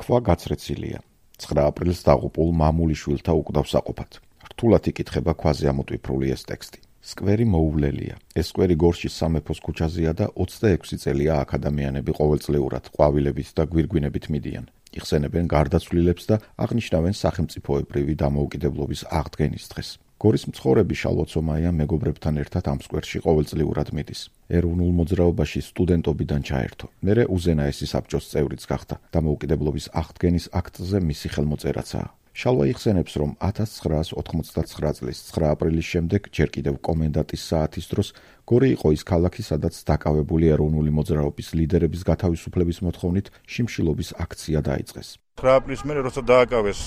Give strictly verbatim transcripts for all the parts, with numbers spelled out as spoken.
ქვა გაცრეცილია. ცხრა აპრილს დაღუპულ მამულიშვილთა უკვდავსაყოფად. რთულად იკითხება ქვაზე ამოტვიფრული ეს ტექსტი. სკვერი მოუვლელია. ეს სკვერი გორშის სამეფოს ქუჩაზეა და ოცდაექვსი წელია აქ ადამიანები ყოველწლიურად ყვავილებით და გვირგვინებით მიდიან. იხსენებენ გარდაცვლილებს და აღნიშნავენ სახელმწიფოებრივი დამოუკიდებლობის აღდგენის დღეს. გორის მცხოვრები შალვაცომაია მეგობრებთან ერთად ამ სკვერში ყოველწლიურად მიდის. ეროვნულ მოძრაობაში სტუდენტობიდან ჩაერთო. მერე უზენაესი საბჭოს წევრიც გახდა. დამოუკიდებლობის აღდგენის აქტზე მისი ხელმოწერაცაა. შალვა იხსენებს, რომ ათას ცხრაას ოთხმოცდაცხრა წლის ცხრა აპრილის შემდეგ ჯერ კიდევ კომენდანტის საათის დროს გორი იყო ის ქალაქი, სადაც დაკავებული ეროვნული მოძრაობის ლიდერების გათავისუფლების მოთხოვნით შიმშილობის აქცია დაიწყეს. ცხრა აპრილის მერე როცა დააკავეს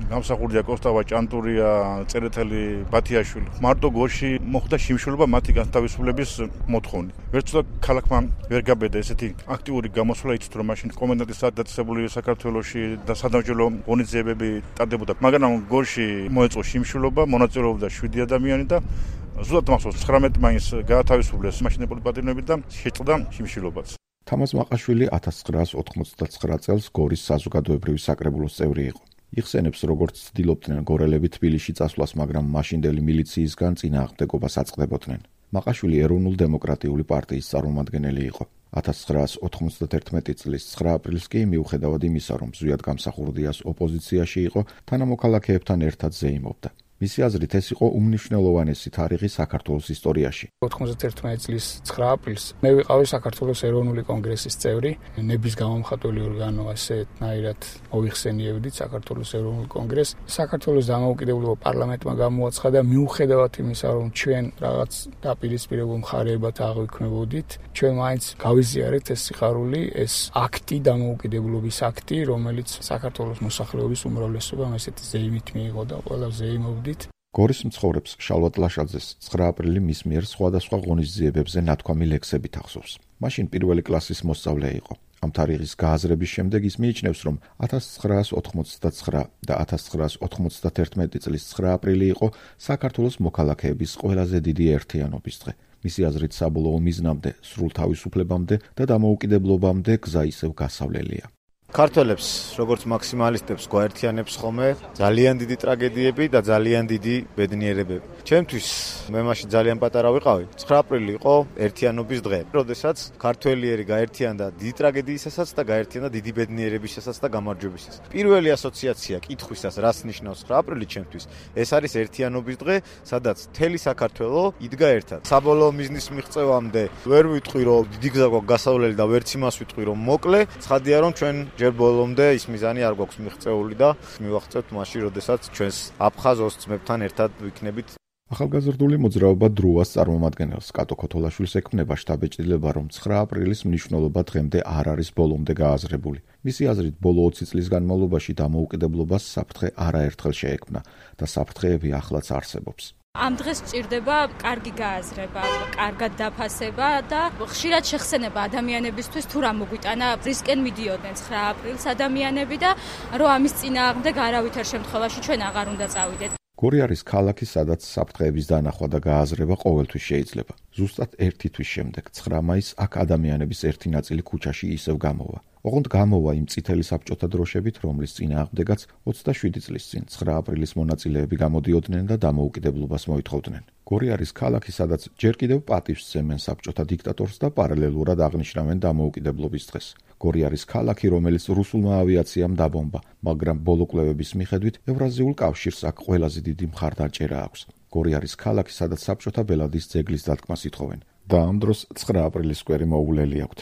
გამსახურდია კოსტავა ჭანტურია, წერეთელი ბათიაშვილი, მარტო გორში მოხდა შიმშილობა მათი გათავისუფლების მოთხოვნით. ვერც ცოტა ქალაქმა ვერ გაბედა ესეთი აქტიური გამოსვლა, იცით რომ მაშინ კომენდანტის საათი დაწესებული საქართველოში და სადამსჯელო ღონისძიებები ტარდებოდა. მაგრამ გორში მოეწყო შიმშილობა, მონაწილეობდა შვიდი ადამიანი და ზუსტად მახსოვს ცხრამეტი მაინც გაათავისუფლეს მაშინებული პატრონები და შეწყდა შიმშილობაც. თამაზ მაყაშვილი ათას ცხრაას ოთხმოცდაცხრა წელს გორის საზოგადოებრივი საკრებულოს წევრი იყო. იხსენებს, როგორც ცდილობდნენ გორელები თბილისში წასვლას, მაგრამ მაშინდელი მილიციისგან წინააღმდეგობას აწყდებოდნენ. მაყაშვილი ეროვნულ-დემოკრატიული პარტიის წარმომადგენელი იყო. ათას ცხრაას ოთხმოცდაერთმეტი წლის ცხრა აპრილს კი მიუხედავად იმისა, რომ ზვიად გამსახურდიას ოპოზიციაში იყო, თანამოქალაქეებთან ერთად ზეიმობდა. მისი აზრით ეს იყო უმნიშვნელოვანესი თარიღი საქართველოს ისტორიაში. ოთხმოცდაერთმეტი წლის ცხრა აპრილს მე ვიყავი საქართველოს ეროვნული კონგრესის წევრი, ნების გამომხატველი ორგანო, ასეთნაირად მოიხსენიებდით საქართველოს ეროვნულ კონგრესს. საქართველოს დამოუკიდებლობა პარლამენტმა გამოაცხადა, მიუხედავად იმისა, რომ ჩვენ რაღაც დაპირისპირებულ მხარეებად აღვიქვნებოდით, ჩვენ მაინც გავიზიარეთ ეს სიხარული, ეს აქტი, დამოუკიდებლობის აქტი, რომელიც საქართველოს მოსახლეობის უმრავლესობამ ესეთი ზეიმით მიიღო და ყველა ზეიმობდა. გორის მცხოვრებს შალვა ტლაშაძეს ცხრა აპრილი მის მიერ სხვადასხვა ღონისძიებებზე ნათქვამი ლექსებით ახსოვს. მაშინ პირველი კლასის მოსწავლე იყო. ამ თარიღის გააზრების შემდეგ ის მიიჩნევს, რომ ათას ცხრაას ოთხმოცდაცხრა და ათას ცხრაას ოთხმოცდაერთმეტი წლის ცხრა აპრილი იყო საქართველოს მოქალაქეების ყველაზე დიდი ერთიანობის დღე. მისი აზრით საბოლოო მიზნამდე, სრულ თავისუფლებამდე და დამოუკიდებლობამდე გზა ისევ გასავლელია. ქართველებს, როგორც მაქსიმალისტებს გვაერთიანებს ხოლმე ძალიან დიდი ტრაგედიები და ძალიან დიდი ბედნიერებები. ჩემთვის მე მაშინ ძალიან პატარა ვიყავი. ცხრა აპრილი იყო ერთიანობის დღე, როდესაც ქართველიერი გაერთიანდა დიდი ტრაგედიისასაც და გაერთიანდა დიდი ბედნიერებისასაც და გამარჯვებისას. პირველი ასოციაცია კითხვისას, რას ნიშნავს ცხრა აპრილი ჩემთვის, ეს არის ერთიანობის დღე, სადაც მთელი საქართველო იდგა ერთად. საბოლოო მიზნის მიღწევამდე ვერ ვიტყვი, რომ დიდი გზა გვაქვს გასავლელი და ვერც იმას ვიტყვი, რომ მოკლე. ცხადია, რომ ჩვენ ჯერ ბოლომდე ის მიზანი არ გვაქვს მიღწეული და მივახცევთ მაშინ, როდესაც ჩვენს აფხაზ ოსწმებთან ერთად ვიქნებით. ახალგაზრდული მოძრაობა დროას წარმომადგენელს კატო ქოთოლაშვილს ექმნება შთაბეჭდილება, რომ ცხრა აპრილის მნიშვნელობა დღემდე არ არის ბოლომდე გააზრებული. მისი აზრით, ბოლო ოცი წლის განმავლობაში დამოუკიდებლობას საფრთხე არაერთხელ შეექმნა და საფრთხეები ახლაც არსებობს. ამ დღეს სჭირდება კარგი გააზრება, კარგად დაფასება და ხშირად შეხსენება ადამიანებისთვის თუ რა მოგვიტანა რისკენ მიდიოდნენ ცხრა აპრილს ადამიანები და რომ ამის წინააღმდეგ არავითარ შემთხვევაში ჩვენ აღარ უნდა წავიდეთ. გორი არის ქალაქი, სადაც საფრთხეების დანახვა და გააზრება ყოველთვის შეიძლება. ზუსტად ერთი თვის შემდეგ, ცხრა მაისს აქ ადამიანების ერთი ნაწილი ქუჩაში ისევ გამოვა. ოღონდ გამოვა იმ წითელი საბჭოთა დროშებით, რომლის წინააღმდეგაც ოცდაშვიდი წლის წინ ცხრა აპრილის მონაწილეები გამოდიოდნენ და დამოუკიდებლობას მოითხოვდნენ. გორი არის ქალაქი, სადაც ჯერ კიდევ პატივს სცემენ საბჭოთა დიქტატორს და პარალელურად აღნიშნავენ დამოუკიდებლობის დღეს. გორი არის ქალაქი, რომელიც რუსულმა ავიაციამ დაბომბა, მაგრამ ბოლო კვლევების მიხედვით ევრაზიულ კავშირს აქ ყველაზე დიდი მხარდაჭერა აქვს. გორი არის ქალაქი, სადაც საბჭოთა ბელადის ძეგლის დადგმას ითხოვენ და ამ დროს ცხრა აპრილის სკვერი მოუვლელი აქვთ.